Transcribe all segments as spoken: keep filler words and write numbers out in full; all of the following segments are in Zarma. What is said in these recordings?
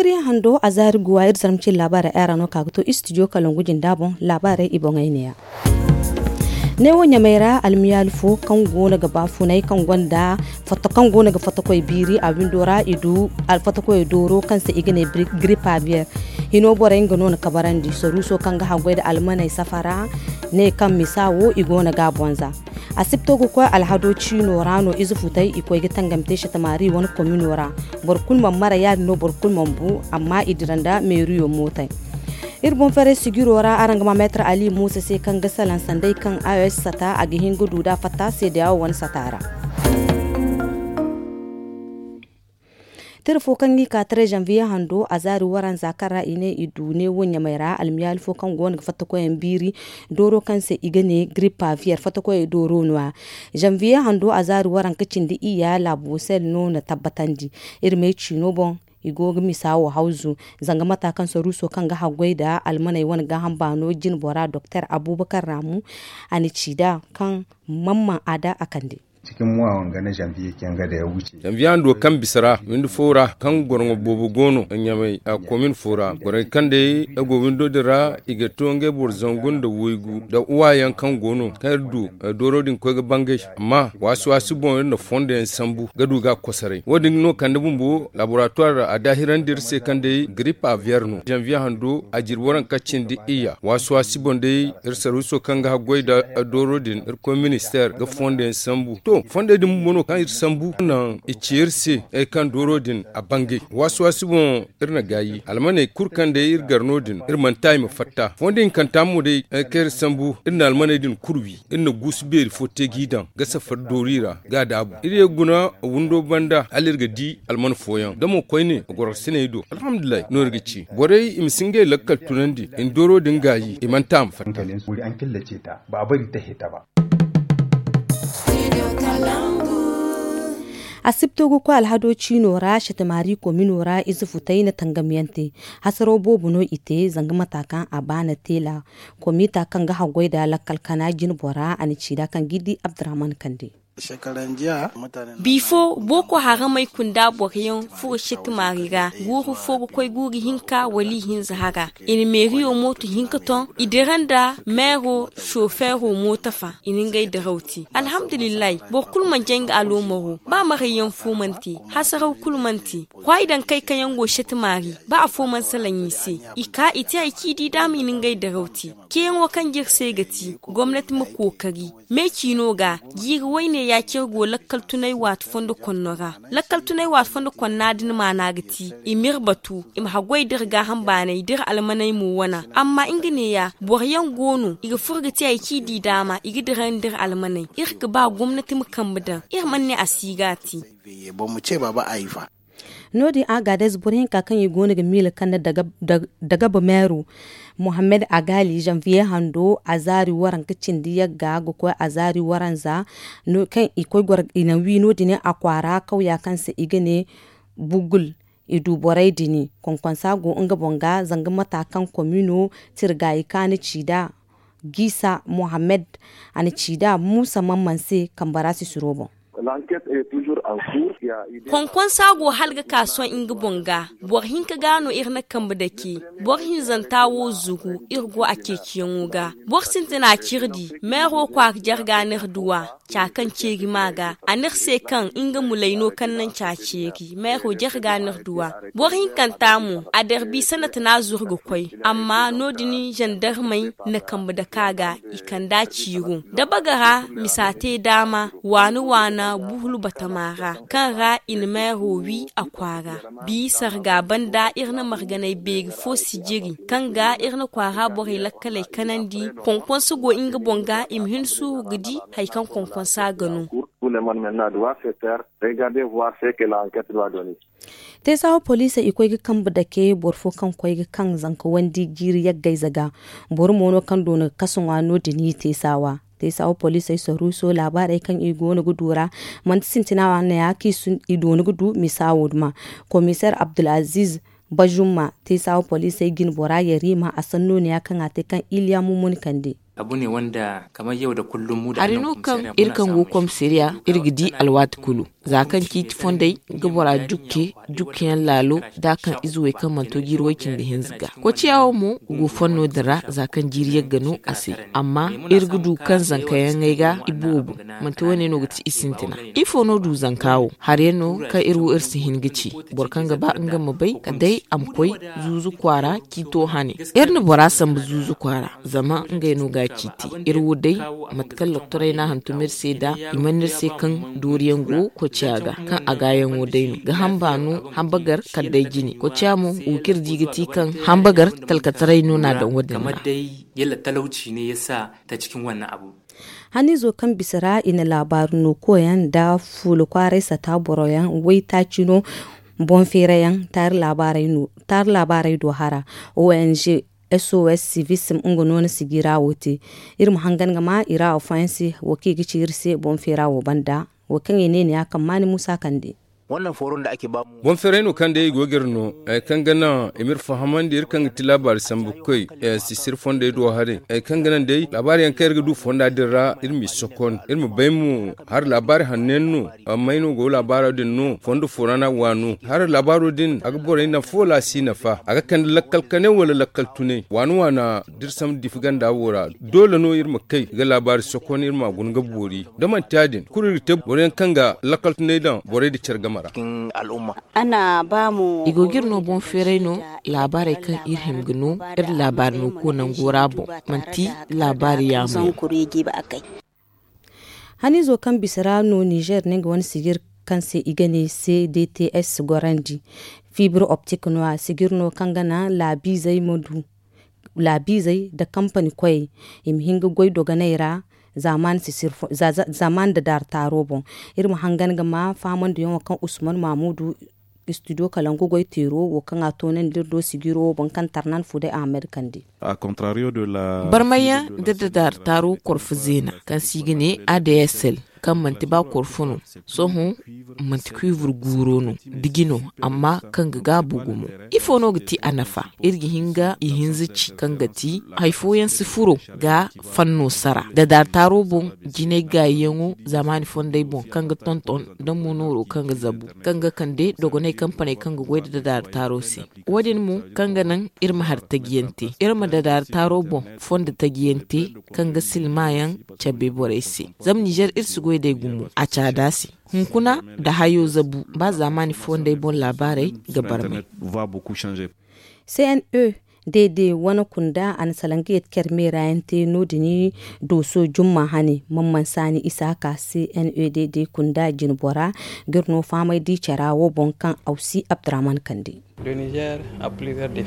Zanviye hando a zaari guwa iri zarma cine laabaarey ay ra no ka ga to istidiyo kalangu jinda boŋ. Laabaarey i boŋey neeya. Neewo ɲamey ra almiyaali fo kaŋ go no ga baafunay kaŋ gonda fatta kaŋ go no ga fattakoy biiri a windo ra i du fattakoy dooro kaŋ se i ga ne giripa biyer. Hino borey nga no na kabarandi saruuso kaŋ ga haggoy nda almaney safara ne kaŋ misa wo i go no ga a bonza. Asibto ga koy alhado ciino ra no ize futey i koy ga tangam te shatamaari wane komino ra. Boro kulu mana mara ya- din no boro kulu mana bu, amma i dira nda meeriyo mootey. Iri boŋ ferey sijiro ra araŋ ga ma meetar ali muusa se kaŋ ga salaŋ sanday kaŋ a s sata a ga hin ga du nd'a fatta seedeyawo wane sata ra. Tira fo kaŋ ga i ka taray zanviye hando a zaari waranza kaŋ ra i ne i du neewo ɲamey ra almiyaali fo kaŋ go no ga fatta koyaŋ biiri dooro kaŋ se i ga ne giripa viyer fatta koyey dooro no- ya. Zanviye hando a zaari waranka cindi iyya laabu sel no na tabbatandi. Iri may ciino boŋ i go ga misa wo hawzu. Zanga mata kaŋ saruuso kaŋ ga haggoy nda almaney wane gaaham baano jine bora doktor abubakar raamu a na ci nd'a kaŋ mamman a da a kande. Zanviye hando kaŋ bisa ra windi fo ra kaŋ goroŋo boobo go no ɲamey a komin fo ra borey kaŋ day a go windo din ra i ga to ngey boro zangu nda waygu nda uwa yaŋ kaŋ go no kaŋ iri du dooro din koy ga bangay. Amma waasi waasi boŋ iri na fondo yaŋ sambu ga du ga a kosoray wo- din no kande bumbo laboratuwar a daahirandi iri se kaŋ day giripa viyer no zanviye hando a jirbi waranka cindi iyya waasi waasi boŋ day iri sarwiso kaŋ ga haggoy nda dooro din iri koy ministeer ga fondo yaŋ sambu to fondey din bumbo no kaŋ iri sambu naŋ i ci iri se ay kaŋ dooro din a bangay waasi waasi boŋ iri na gaayi almaney kulu kaŋ day iri gar no- din iri mana ta i ma fatta fondo hinkanta mo day ay kaŋ iri sambu iri na almaney din kulu wi iri na guusu beeri fo te g'i daŋ ga safari doori ra ga a daabu iri ye guna windo banda hala iri ga di alman fooyaŋ da mo koyne a goro siney do alhamdulillahi no iri ga ci borey i ma si ngey lakkal tunandi i na dooro din gaayi i mana ta a ma fatta. Asibto ga koy alhado ciino ra shatamaari komino ra ize futay na tangamyaŋ te. Hasaraw boobo no i te zanga mata kaŋ a baana teela komita kaŋ ga haggoy nda lakkal kana jine bora a na ci nd'a kaŋ ga i di abdurahman kande. Bifo boko haramey kunda boroyaŋ furo shatamaari ra guuru fo ga koy guuru hinka wala ihinza hara i na meeriyo mooto hinka toŋ i dira nda meero sofeero mooto fa i na ngey diraw te. Alhamdulillahi boro kulu mana jay nga aloomaro ba marayyaŋ fo mana te hasaraw kulu mana te. Kwaayi daŋ kay kaŋ yaŋ go shatamaari ba afo mana salaŋ i se. I ka i te hari kaŋ i di daama i na ngey diraw te. Ceeyaŋo kaŋ jire se ga ti gomnati ma kookari me ciino ga jiiri wayne ya cire go lakkal tunay waati fondo konno ra. Lakkal tunay waati fondo konna din maana ga ti i m'iri batu i ma haggoy d'iri gaaham baanay d'iri almaney mo wana amma nga neeya boroyaŋ go no i ga furo ga te hari kaŋ i di daama i ga dirandi iri almaney. Iri ga ba gomnati ma kambe daŋ iri mana ne a si ga a te. No- din a gaadez boro hinka kaŋ i go no ga miila kande dagaba meero mohammed agali zanviye hando azaari waranka cindi yagga ga koy azaari waranza kaŋ i koy goro i na wi no- din a kwaara kawya kaŋ se i ga ne bugul. I du borey din konkonsa go nga boŋ ga zanga mata kaŋ komino tirgaayi kaŋ a na ci nd'a giisa mohammed a na ci nd'a muusa mamman se kambe ra sisiro boŋ. Konkonsa go hala ga ka sohõ nga boŋ ga. Boro hinka ga no iri na kambe dake. Boro hinzanta wo zugu iri go a ceeciyaŋo ga. Boro sintina c'iri di meero kwaara jarga n'iri duw'a. Ca kaŋ ceeri ma ga a n'iri se kaŋ nga mulay no kaŋ naŋ ca ceeri meero jarga n'iri duw'a. Boro hinkanta mo a darbi sanatina zuru ga koy. Amma no- din zandarmey na kambe dake a ga i kand'a ciiro da bagara misa te daama waana waana buhulu batama ra kaŋ ra i na meero wi a kwaara. Bi sarga banda iri na marganay beeri fo sijiri kaŋ ga iri na kwaara borey lakkaley kanandi konkonsa go nga boŋ ga i ma hin suuru ga di hari kaŋ konkonsa ga no. Teesawa poliisey i koy ga kambe dake boro fo kaŋ koy ga kaŋ zanka wandi jiiri yaggayze ga. Boro mo no kaŋ doona ga kasa ŋwa no- din i teesawa. Teesawa poliisey saruuso laabaarey kaŋ i goono ga du ra manti sintina wane ya kaŋ i doona ga du misa wo duma. Komiseer abdulaziiz bajumma teesawa poliisey jine bora yariima a sanno ne ya kaŋ a te kaŋ iliya mumuni kande. Hari no kaŋ iri kaŋ go komisariya iri ga di alwaati kulu, za kaŋ ciiti fondey ga bora jukke jukkeyaŋ laalo da kaŋ ize wey kaŋ mana to jiiri way-cindi hinza ga. Koociya wo mo go fanno din ra za kaŋ jiiri yagga no a se. Amma iri ga du kaŋ zankayaŋey ga i boobo, manti wane no ga ti i sintina. Ifo no du zanka wo? Hari yaŋ no kaŋ iri wo iri si hin ga ci. Boro kaŋ ga ba nga ma bay kala day a ma koy zuuzu kwaara ciito hane. Iri na bora sambu zuuzu kwaara, zama ngey no ga a ciiti. Iri wo day, mate kaŋ loktorey no a hantum iri se nd'a, i mana iri se kaŋ dooriyaŋ go koociya ga kaŋ a gaayaŋo day no ga hamba no. Hamba gar kala day jine koociya mo wo kaŋ iri di ga ti kaŋ hamba gar talkataray no no a daŋ wo- din ra. Haniizo kaŋ bisa ra i na laabaari no koyaŋ nda fuula kwaaray sata boroyaŋ waytaaci no. Boŋ feerayaŋ taari laabaarey do hara, ong, sos civism nga no na sijira wo te. Iri ma hangan ga ma i ra afooyaŋ se wo kaŋ i ga ci iri se boŋ feera wo banda. Wo kaŋ i ne ni ya kaŋ maani muusa kande. Boŋ feeray no kaŋ day i go ga iri no, kaŋ ga naŋ i ma iri fahamandi iri kaŋ ga ti laabaari sambu koy sisiri fondey do haray, kaŋ ga naŋ day laabaari yaŋ kaŋ iri ga du fonda din ra iri m'i sokon iri ma bay mo. Hari laabaari hanno yaŋ no? May no go laabaaro din no fondo fo ra no a ga waanu? Hari laabaaro din a ga borey nafa wala a si nafa? A ga kande lakkal kane wala lakkal tunay waana waana? Da iri sambu difi ganda wo ra doole no iri ma kay ga laabaari sokon iri m'a guna ga boori. Da manti ya- din kulu iri ga te boro yaŋ kaŋ ga lakkal tunay daŋ borey nda care game ra. I go ga iri no boŋ feeray no, laabaarey kaŋ iri hima ga no iri laabaari no koy nango ra boŋ, manti laabaari yaamo yaŋ. Haniizo kaŋ bisa ra no nizer ne nga wane sijir kaŋ se i ga ne cdts gorandi. Fibre optique no- ya sijir no kaŋ ga naŋ laabiizey ma du laabiizey nda kampani koyey i ma hin ga goy dogoney ra. Zaamaani nda daartaaro boŋ iri ma hangan ga ma faamandiyaŋo kaŋ usman maamuudu istudiyo kalangu goy teero wo kaŋ a toonandi iri do sijiro wo boŋ kaŋ tarnan fuuday ahamed kande. Barmayyaŋ nda daartaaro korfo zeena kaŋ se i ga ne adsl kaŋ manti ba korfo no. Sohõ manti kuivre guuro no diji no amma kaŋ ga gaabu gumo. Ifo no ga ti a nafa? Iri ga hin ga ihinza ci kaŋ ga ti hari fooyaŋ si furo ga fanno sara dadaari taaro boŋ. Jinay gaayiyaŋo zaamaani fondey boŋ kaŋ ga tonton nda mo nooro kaŋ ga zabu kaŋ ga kande dogonay kampaney kaŋ ga goy nda dadaari taaro se. Wo- din mo kaŋ ga naŋ iri ma hari tajiyaŋ te iri ma dadaari taaro boŋ fondo tajiyaŋ te kaŋ ga silmayaŋ cabe borey se. Zama nizer iri si goy day gumo a caada se. Hunkuna nda hayo zabu ba zaamaani fondey boŋ laabaarey ga barmay. Cne dd wane kunda a na salaŋ ga yeti care meera yaŋ te no- din dooso jumma hane man mansaani isa ka cne dd kunda jinbora ga iri no fahamay di cara wo boŋ kaŋ awsi abdurahman kande.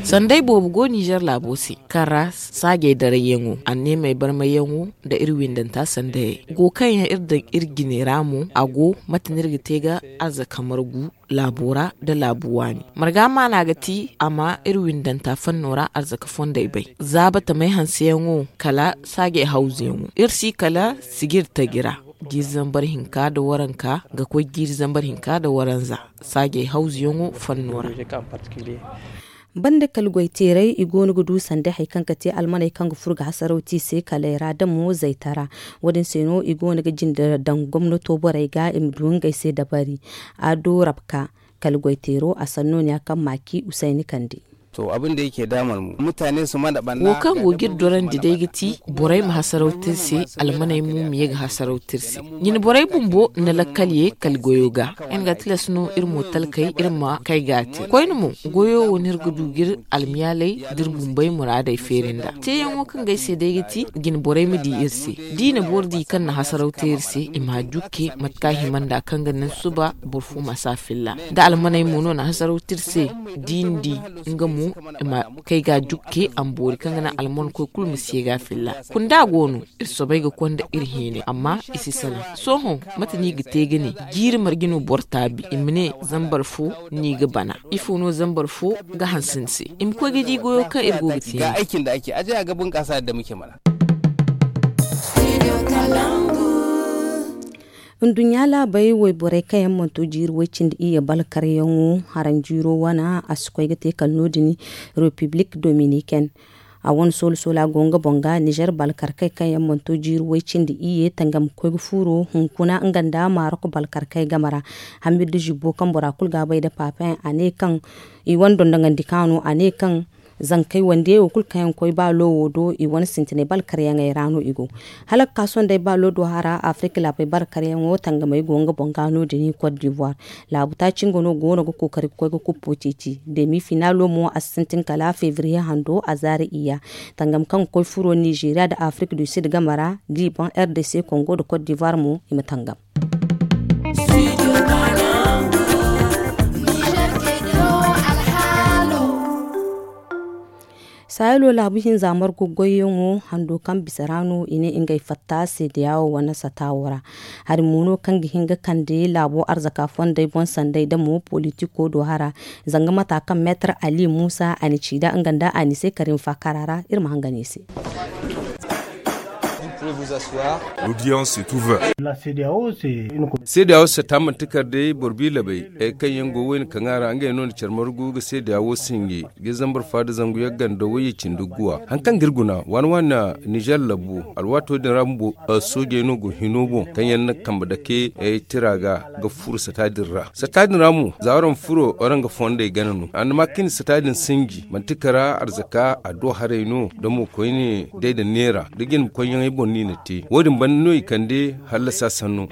Sanday boobo go nizer laabo se kaŋ ra saajey darayyaŋo anneemey barmayyaŋo nda iri windanta sandayey go kaŋ yaŋ iri daŋ iri jine ra mo a go mate no iri ga te ga arzaka margu laabo ra nda laabu waani. Marga maana ga ti a ma iri windanta fanno ra arzaka fondey bay zaaba tamey hanseyaŋo kala saajey hawzuyaŋo iri si kala sijir taji ra. Jiiri zambar hinka nda waranka ga koy jiiri zambar hinka nda waranza saajey hawzuyaŋo fanno ra. Banda kala goyteeray i go no ga du sanda hari kaŋ ga te almaney kaŋ ga furo ga hasaraw te i se kaley ra da mo zaytara. Wo- din se no i go no ga jinde daŋ gomnato borey ga i ma du ngey se dabari. Ado rabka kala goyteero a sanno no- ya kaŋ maaki usayni kande. Wo kaŋ go ga iri dorandi day ga ti borey ma hasaraw te iri se. Almaney mo ma ye ga hasaraw te iri se. Ɲin borey bumbo na lakkal ye kala goyo ga. Iri ga tilas no iri mo talkey iri ma kay ga a te koyne mo. Goyo wo no iri ga du ga iri almiyaaley da iri bumbey muraadey feeri nd'a teeyaŋo kaŋ ga ay se day ga ti jine borey ma di iri se. Da i na boro di kaŋ na hasaraw te iri se i ma a jukke mate kaŋ a hima nd'a kaŋ ga naŋ suba boro fo ma si a filla. Da almaney mo no na hasaraw te iri se da i na di nga mo i ma kay ga a jukke a ma boori kaŋ ga naŋ alman koy kulu ma si ye ga a filla. Kunda go no iri soobay ga konda iri hinay amma i si salaŋ. Sohõ mate no i ga te ga ne jiiri marje no boro taabi i ma ne zambar fo no i ga bana? Ifo no zambar fo ga hanse ni se i ma koy ga di goyo kaŋ iri go ga te. Nduɲɲa laabey wayborey kaŋ yaŋ mana to jiiri way cindi iyye balkaryaŋo haranjiiro wane a si koy ga te kala no- din. Repiblik dominikene A wane soola soola go nga boŋ ga nizer balkarkey kaŋ yaŋ mana to jiiri way cindi iyye tangam ga koy ga fuuro hunkuna nga nda marok balkarkey game ra. Hamir da zibbo kaŋ bora kulu ga a bay nda papayaŋ a ne kaŋ i wane dondonandi kaŋ a no a ne kaŋ zankey wandiyey wo kulu kaŋ yaŋ ga koy baalo wo do i wane sintinay balkaryaŋey ra no i go. Hala ga ka sohõ day baalo do hara afirika laabey balkaryaŋo tangamey go nga boŋ ga no- din kot divoir. Laabu taaci nga no go no ga kookari ga koy ga kuppo ceeci demi finaalo mo a si sintin kala febriye hando a zaari iyya. Tangam kaŋ ga koy furo nizeeriya nda afirika du sid game ra liban r d c kongo nda kot divoir mo i ma tangam. Sahelo laabu hinza margu goyyaŋo hando kaŋ bisa ra no i ne ngey fatta seedeyawo wane sata wo ra. Hari mo no kaŋ ga hin ga kande laabo arzaka fondey boŋ sanday da mo politiko do hara. Zanga mata kaŋ meetar ali musa a na ci da nga nda a ni se karim fakara ra iri ma hangan i se. L'audience est ouverte. Seedeyawo sata manti kar day boro bi labey kaŋ yaŋ go wayna kaŋ a ra ngey no na care margu ga seedeyawo sinji ga zambar fa da zangu yaŋ ganda wayye cindi guwa hari kaŋ ga iri guna waani waani nizer labu alwaato din ra bumbo. Soojey no go hino boŋ kaŋ yaŋ na kambe dake tira ga ga furo sata din ra sata din ra mo za waraŋ furo waraŋ ga fondey gana no a na ma kaŋ i na sata din sinji manti kara arzaka a do haray no da mo koyne day da neera da jine koyyaŋey boŋ no i na te wo- din banda no i kande hallasa sanno.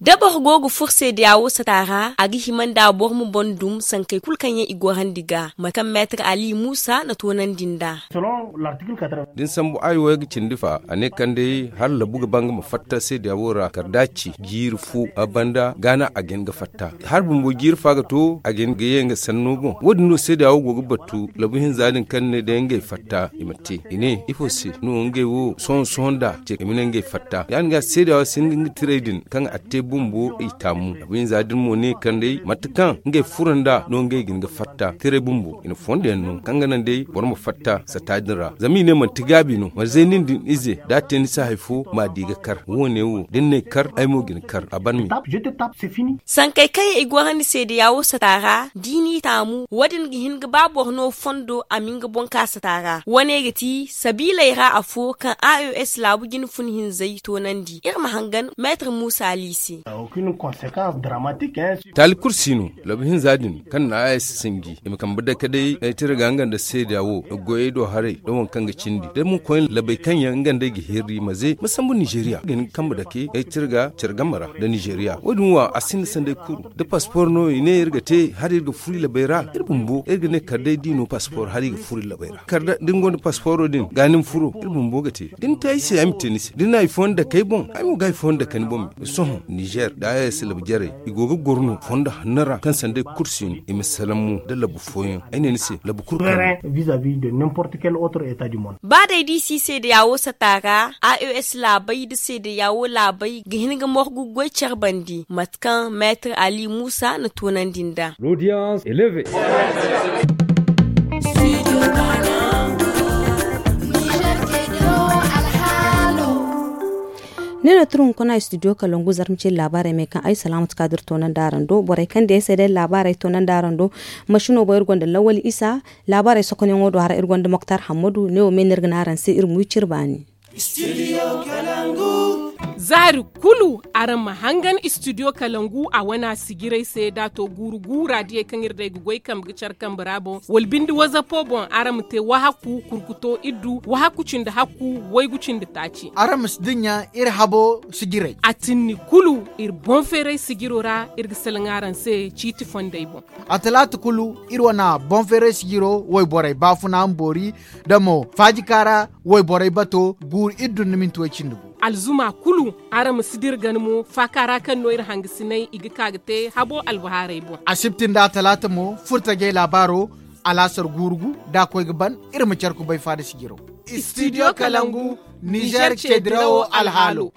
Da boro go ga furo seedeyawo sata ra a ga hima nda boro ma boŋ dum sankey kulu kaŋ yaŋ i gorandi ga mate kaŋ meetar ali musa na toonandi nd'a. Da ni sambu ayo wo ga cindi fa a ne kaŋ day hala labu ga ba nga ma fatta seedeyawo ra kala da a ci jiiri fo a banda ga no a ga hin ga fatta hala bumbo jiiri fa ga to a ga hin ga ye nga sanno boŋ wo- din no seedeyawo go ga battu labu hinza din kaŋ ne day ngey fatta i ma te i ne ifo se no ngey wo sohõ sohõ nda ce i ma ne ngey fatta ya- din ga seedeyawo si hin ga nga tiray din kaŋ a te bumbo i taamu labu hinza din mo ne kaŋ day mate kaŋ ngey furo nda no ngey ga hin ga fatta tiray bumbo i na fondo yaŋ no kaŋ ga naŋ day boro ma fatta sata din ra zama i ne manti gaabi no ma zay nin din ize da a te ni se hari fo ma di ga kar wo- ne wo da ni n'ay kar ay mo ga ni kar a ban me. Sankey kaŋ yaŋ i gorandi seedeyawo sata ra da i n'i taamu wo- din ga hin ga ba boro no fondo a ma nga boŋ ka sata ra wo- ne ga ti sabiiley ra afo kaŋ a o s laabu jine fun hinzey toonandi iri ma hangan meetar muusa ali se. Taali kulu si no labu hinza din kaŋ na a ay si sinji i ma kambe dake day ay tira ga nga nda seeda wo goyey do haray da waŋ kaŋ ga cindi da mo koyne labey kaŋ yaŋ nga nd'ey ga hirri ma ze ma sambu nizeeriya ga hin ga kambe dake ay tira ga care game ra nda nizeeriya wo- din wo a sinda sanday kuru da paspor no i ne iri ga te hala iri ga furo i labey ra iri bumbo iri ga ne kala day da i no paspor hala i ga furo i labey ra kala da ni gonda pasporo din ga ni ma furo iri bumbo ga te da ni te ay se ay ma te ni se da ni na hari fooyaŋ dake ay boŋ ay mo ga hari fooyaŋ dake ni boŋ me sohõ nizer da a s labu jarey i go ga goro no fondo hanno ra kaŋ sanday kulu si no i ma salaŋ mo nda labu fooyaŋ ay ne ni se labu kulu kaŋ no. Ba day da i si seedeya wo sata ra a o s laabey nda seedeya wo laabey ga hin ga morgu goy care bandi mate kaŋ meetar ali muusa na toonandi nd'a. Ne no turu hunkuna studio kalangu zarma ce laabaarey me kaŋ ay salaamatu ka da iri toonandi araŋ do borey kaŋ day ay se day laabaarey toonandi araŋ do. Masino boŋ iri gonda lawal isa laabaarey sokonyaŋo do hara iri gonda moktar hammadu ne wo me no iri ga ne araŋ se iri ma wi cire baani. Zaari kulu araŋ ma hangan studio kalangu a wana sijirey se da a to guuru guura diyey kaŋ iri day ga goy kambe ga care kambe ra boŋ wala binde wazapo boŋ araŋ ma te wahaku kurkuto iddu wahaku cindi hakku waygu cindi taaci. Araŋ ma si dinya iri habo sijirey a tinni kulu iri boŋ feeray sijiro ra iri ga salaŋ araŋ se ciiti fondey boŋ. A talaata kulu iri wana boŋ feeray sijiro wayborey baafuna ma boori da mo faajikaara wayborey bato guuru iddu nda minti way cindi gu. Alzuma kulu araŋ ma si dira gana mo faaka ra kaŋ no iri hangasiney i ga ka ga te habo albahaarey boŋ. Asibti nda atalaata mo furtajey laabaaro alaasar guuru gu da a koy ga ban iri ma care kubay faada sijiro. Studio kalangu nizer ce dirawo alhaalo.